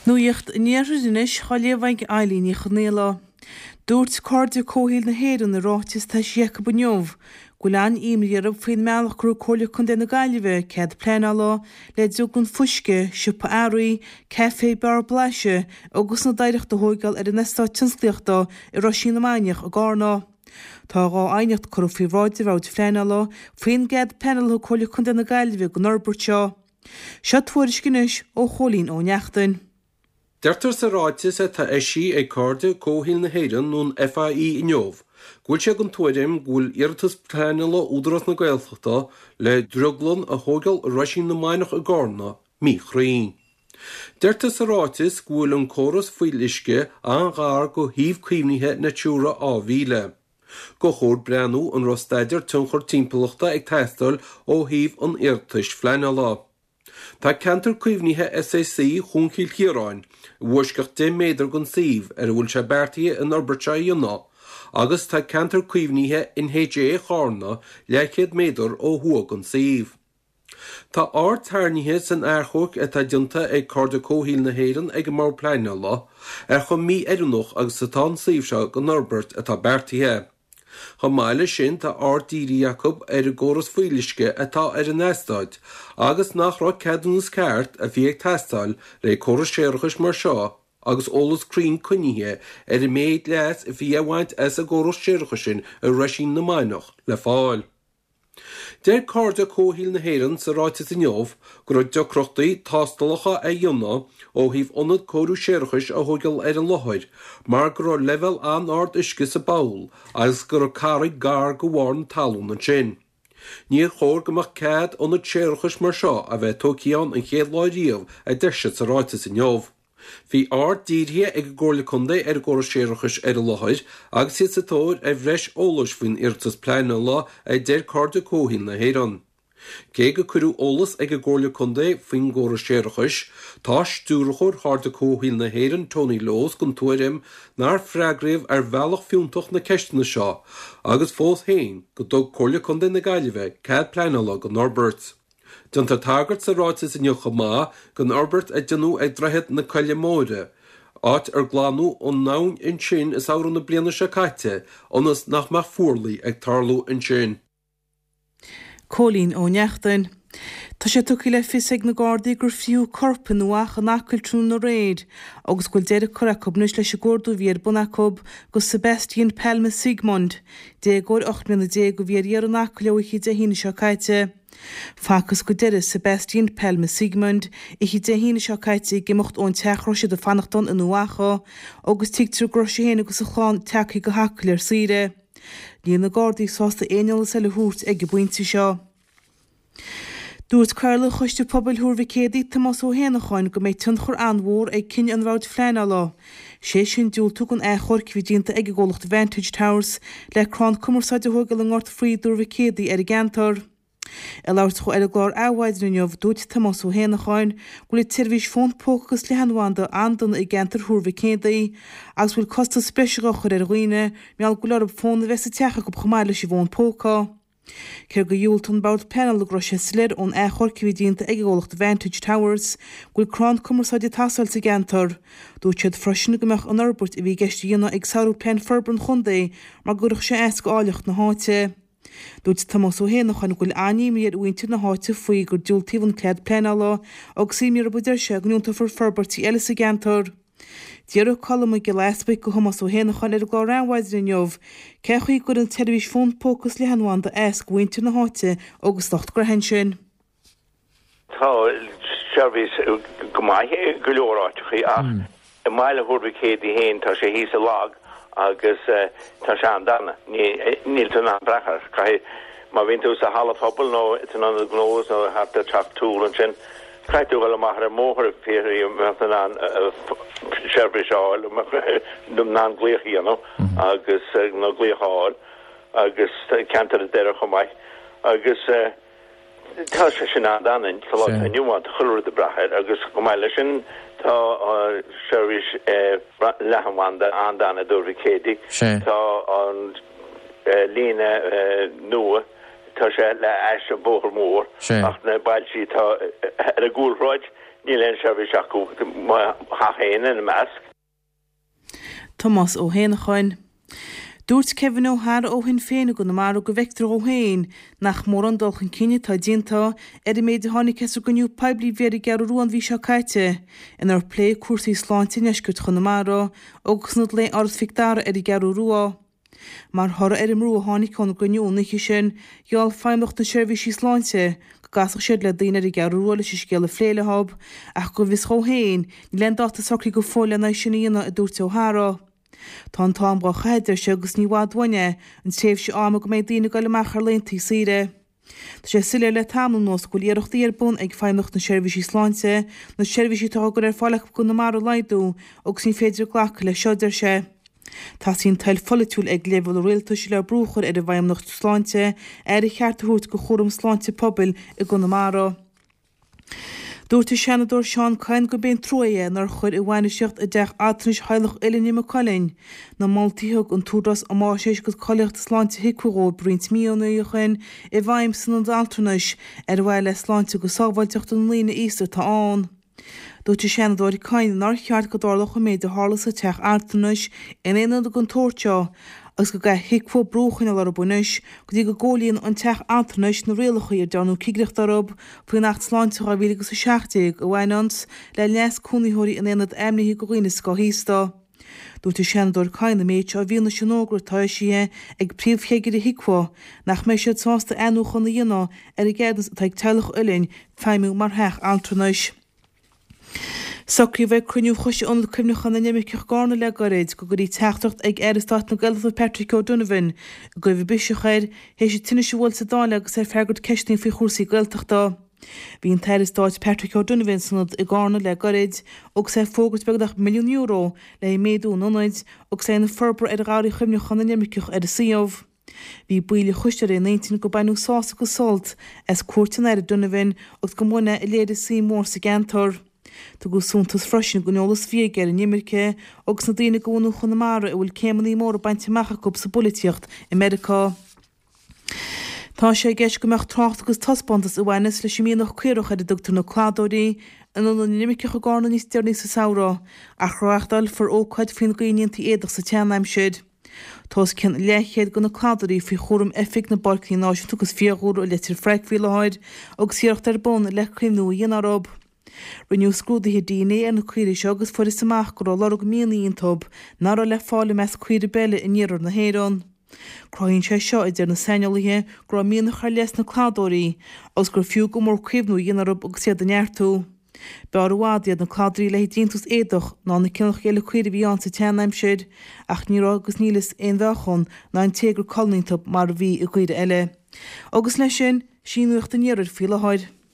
Nuacht an Iarthair anois á léamh ag Eilín Ní Chonaola. Dúirt Cairde Comhshaoil na hÉireann i ráiteas atá eisithe acu inniu go bhfuil an-imní orthu faoin mbealach gur thug Comhairle Contae na Gaillimhe cead pleanála le drioglann fuisce, siopa earraí, caife, beár blaiseadh agus ionad oidhreachta a thóigeáil ar an eastát tionsclaíochta i Roisín na Mainiach i gCarna. Tá 2 aighneacht curtha faoi bhráid an Bhoird Phleanála faoin gcead pleanála a thug Comhairle Contae na Gaillimhe don fhorbairt seo. Seo tuairisc anois ó Chóilín Ó Neachtain. Deirtear sa ráiteas atá eisithe ag Cairde Comhshaoil na hÉireann nó an FAI inniu go bhfuil siad den tuairim go bhfuil iarratas pleanála Údarás na Gaeltachta le drioglann a thóigeáil i Roisín na Mainiach i gCarna míchruinn. Deirtear sa ráiteas go bhfuil an córas fuíolluisce an-ghar go shuíomh caomhnaithe Natura 2000. Gur chóir breathnú an raibh staidéar tionchar timpeallachta ag teastáil ó thaobh an iarratais phleanála. Tá ceantar caomhnaithe SAC Chuan Chill Chiaráin i bhfoisceacht 10 méadar den suíomh ar a bhfuil sé beartaithe an fhorbairt seo a dhéanamh agus tá ceantar caomhnaithe NHA Charna leathchéad méadar ó thuaidh den suíomh. Tá aird tarraingthe san achomharc atá déanta ag Cairde Comhshaoil na hÉireann ag an mBord Pleanála ar chomh mí-oiriúnach agus atá an suíomh seo don fhorbairt atá beartaithe. Chomh maith leis sin, tá aird dírithe acu ar an gcóras fuíolluisce atá ar an eastát agus nach raibh ceadúnas ceart a bhí ag teastáil le córas séarachais mar seo agus eolas cruinn coinnithe ar an méid leas a bhí á bhaint as an gcóras séarachais sin i Roisín na Mainiach le fáil. Deir Cairde Comhshaoil na hÉireann sa ráiteas inniu go raibh deacrachtaí tástálacha a dhéanamh ó thaobh ionad cóiriú séarachais a thóigeáil ar an láthair mar go raibh leibhéal an-ard uisce sa bpoll agus go raibh carraig gar go bharr na talún ansin. Níor chóir go mbeadh cead ionad séarachais mar seo a bheith tógtha ann an chéad lá riamh, a deir siad sa ráiteas inniu. Bhí aird dírithe ag an gComhairle Contae ar an gcóras séarachais ar an láthair agus iad sa tóir ar bhreis eolais faoin iarratas pleanála, a deir Cairde Comhshaoil na hÉireann. Cé gur cuireadh eolas ag an gComhairle Contae faoin gcóras séarachais, tá Stiúrthóir Chairde Comhshaoil na hÉireann, Tony Lowes, den tuairim nár freagraíodh ar bhealach fiúntach na ceisteanna seo agus fós féin go dtug Comhairle Contae na Gaillimhe cead pleanála don fhorbairt. Déantar tagairt sa ráiteas inniu chomh maith don fhorbairt a déanadh ag Droichead na Coille Móire, áit ar glanadh an abhainn ansin i samhradh na bliana seo caite ionas nach mbeadh fuarlaigh ag tarlú ansin. Cóilín Ó Neachtain. Tá sé tugtha le fios ag na Gardaí gur frítheadh corp in Uaimh Eachach in Acaill tráthnóna aréir agus go bhfuil deireadh curtha acu anois leis an gcuardú a bhí ar bun acu do Sebastian Palma Sigmund, déagóir 18 mbliana a bhí ar iarraidh in Acaill ó oíche Dé hAoine seo caite. Facthas go deireadh Sebastian Palma Sigmund oíche Dé hAoine seo caite ag imeacht ón teach a raibh siad ag fanacht ann in Uíbh Eachach agus tuigtear go raibh sé féin agus a chlann tagtha go hAcaill ar saoire. Níl na Gardaí sásta aon eolas eile a thabhairt ag an bpointe seo. Dúirt Cathaoirleach Choiste Pobail Thuar Mhic Éadaigh, Tomás Ó hÉanacháin, go mbeidh tionchar an-mhór ag cinneadh an Bhoird Phleanála, sé sin diúltú don achomharc a bhí déanta ag an gcomhlacht Vantage Towers le crann cumarsáide a thógáil i nGort Fraoigh i dTuar Mhic Éadaigh ar an gceantar. Ag labhairt dhó ar an gclár Adhmhaidin inniu, dúirt Tomás Ó hÉanacháin go bhfuil an tseirbhís fón póca agus leathanbhanda an-dona i gceantar Thuar Mhic Éadaigh agus go bhfuil costas breise á chur ar dhaoine mar gheall go bhfuil orthu fón a bheith sa teach acu chomh maith leis an bhfón póca. Cé gur dhiúltaigh an Bord Pleanála go raibh sé soiléir ón achomharc a bhí déanta ag an gcomhlacht Vantage Towers go bhfuil crann cumarsáide ag teastáil sa gceantar. Dúirt siad freisin go mbeadh an fhorbairt a bhí i gceist a dhéanamh ag sárú plean forbartha an chontae mar go gcuirfeadh sé as go áilleacht na háite. Dúirt Tomás Ó hÉanacháin go bhfuil an-imní ar mhuintir na háite faoi gur diúltaíodh an cead pleanála agus imní orthu a deir sé go ndiúltófar forbairtí eile sa gceantar. D'fhiafraigh Colm Mac Giolla Easbuic de Thomás Ó hÉanacháin ar an gclár Adhmhaidin inniu cén chaoi a gcuireann an tseirbhís fón póca is leathanbhanda as do mhuintir na háite agus lucht gnoithe ansin. Tá seirbhís go maith i go leor áiteachaí ach i mbaile Thuar Mhic Éadaigh féin tá sé thíos i lag agus tá sé an-dona. Níl tú in ann brath air. Caithfidh, má bhíonn tú sa halla pobail nó san ionad gnó nó thart ar Teach Toole ansin, Caithfidh tú dhul amach ar an mbóthar fiú a bheith in ann seirbhís a fháil, in ann glaoch a dhéanamh agus nó glaoch a fháil agus ceantar an Doire chomh maith agus tá sé sin an-dona sa lá atá inniu ann, tá chuile rud ag brath air agus chomh maith leis sin tá seirbhís leathanbhanda an-dona i dTuar Mhic Éadaigh, tá an líne nua. Tá sé le ais an bóthar mór ach na bailtí atá ar an gcúlshráid. Níl aon seirbhís acu, mo theach féin ina measc. Tomás Ó hÉanacháin. Dúirt Kevin O'Hara ó Shinn Féin i gConamara go bhfeictear dhó féin nach mórán dul chun cinn atá déanta ar an méid a tháinig as an gcruinniú poiblí a bhí ar an gCeathrú Rua an mhí seo caite inar pléadh cúrsaí sláinte i ndeisceart Chonamara agus in Ionad Lae Áras Mhic Dara ar an gCeathrú Rua. Mar thoradh ar an mbrú a tháinig ón gcruinniú an oíche sin, gheall Feidhmeannacht na Seirbhísí Sláinte go gcasfadh siad le daoine ar an gCeathrú Rua leis an scéal a phlé leo, ach go bhfios dhó féin, níl aon dáta socraithe go fóill lena é sin a dhéanamh, a dúirt O'Hara. Tá an t-am dhá chaitheamh, a deir sé, agus ní i bhfad uainn é, an tréimhse ama go mbeidh daoine ag dul amach ar laethanta saoire. Tá sé soiléir le tamall anuas go bhfuil iarrachtaí ar bun ag Feidhmeannacht na Seirbhísí Sláinte na seirbhísí atá á gcur ar fáil acu i gConamara a laghdú agus ní féidir glacadh leis seo, a deir sé. Teastaíonn toil pholaitiúil ag leibhéal an rialtais le brú a chur ar an bhFeidhmeannacht Sláinte aire cheart a thabhairt do chúram sláinte pobail i gConamara. Dúirt an Seanadóir Seán Kyne gurb é an trua é nár chuir bhainistíocht i dteach altranais Theaghlach Uillinne i Maigh Cuilinn na moltaí a thug an tÚdarás um Fháisnéis agus Cáilíocht Sláinte HIQA dhóibh roinnt míonna ó shin i bhfeidhm san ionad altranais ar mhaithe le sláinte agus sábháilteacht na ndaoine aosta atá ann. Dúirt an Seanadóir Kyne nár cheart go dtarlódh an méid a tharla sa teach altranais in aon ionad den tsórt seo agus go gcaithfidh HIQA brú a choinneáil orthu anois go dtí go gcomhlíonann an teach altranais na rialacha ar dearnadh cigireacht orthu faoin Acht Sláinte 2017 a bhaineanns le leas cónaitheoirí in aonad ainmnithe do dhaoine scothaosta. Dúirt an Seanadóir Kyne an méid seo i bhfianaise an fhógra atá eisithe ag príomhchigire HIQA nach mbeidh siad sásta athnuachan a dhéanamh ar an gceadúnas atá ag Teaghlach Uilinn feidhmiú mar theach altranais. Socraíodh ag cruinniú Choiste Ionad Cuimhneacháin na nImirceach i gCarna le gairid go gcuirfí teachtaireacht ag Aire Stáit na Gaeltachta Patrick O'Donovan i gcuimhe biseach air théis an tinnis a bhuail sa Dáil agus é ag freagairt ceisteanna faoi chúrsaí Gaeltachta. Bhí an tAire Stáit Patrick O'Donovan san ionad i gCarna le gairid agus é ag fógairt beagnach €1 milliún le haghaidh méadú an ionaid agus le haghaidh na forbartha ar Gharraí Chuimhneacháin na nImirceach ar an suíomh. Bhí baill an choiste ar aon intinn gur baineadh sásamh agus sult as cuairt an Aire Donovan agus go mba dhuine é a léirigh suim mhór sa gceantar. Tugadh suntas freisin don eolas a bhí aige ar an imirce agus na daoine de bhunadh Chonamara a bhfuil céimeanna móra bainte amach acu sa bpolaitíocht i Meiriceá. Tá sé i gceist go mbeadh trácht agus taispeántas a bhaineas leis an mianach caorach ar a dtugtar na Cladóirí in Ionad na nImirceach i gCarna níos deireanaí sa samhradh ach reáchtálfar ócáid faoin gcaoi a ndéantaí éadach sa tseanaimsir. Tá os cionn leathchéad de na cladairí faoi chúram Oifig na bPáirceanna Náisiúnta agus Fiadhúlra i Leitir Fraic faoi láthair agus iarracht ar bun le caomhnú a dhéanamh orthu. Rinneadh scrúduithe dna ar na caoirigh seo agus fuarthas amach go raibh lorg mianaigh iontu nach raibh le fáil i measc caoirigh ar bith eile in iarthar na hÉireann. Cruthaíonn sé seo, a deir na saineolaithe, go raibh mianach ar leith sna cladóirí agus gur fiú go mór caomhnú a dhéanamh orthu agus iad a neartú. B'fhearr i bhfad iad na cladairí le haghaidh déantús éadach ná na cineálacha eile caoirigh a bhí ann sa tseanaimsir, ach ní raibh agus níl fhios aon mheáchan ná intéagar colainne iontu mar a bhí i gcaoirigh eile. Agus leis sin, sin í nuacht an iarthair faoi láthair.